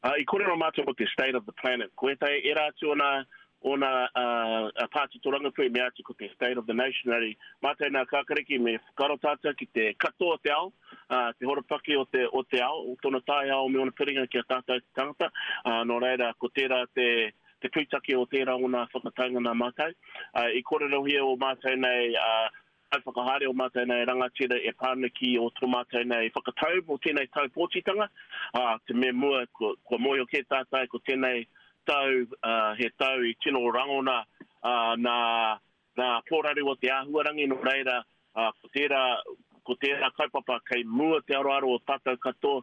I kōrero mātou mō te state of the planet. Ko ētahi ērā atu o nā, o nā pāti tōrangapū i mea atu ko te state of the nation. Engari, mātou nā Kākariki me whakaaro tātou ki te katoa o te ao, te horopaki o te, o te ao, o tōna taiao me ōna piringa ki a tātou te tangata. Nō reira, ko tērā te, te pūtake o tērā o nā whakataunga nā mātou. I kōrerohia o mātou nei, Kaiwhakahaere o mātou nei rangatira e pā ana ki o tō mātou nei whakatau mō tēnei tau pōtitanga, ā, te mea mua kua, kua mōhio kē tātou ko tēnei tau, ā, he tau i tino rangona, ā, nā, nā pōraru o te āhuarangi, nō reira, ā, ko tērā, ko tērā kaupapa kei mua te aroaro o tātou katoa.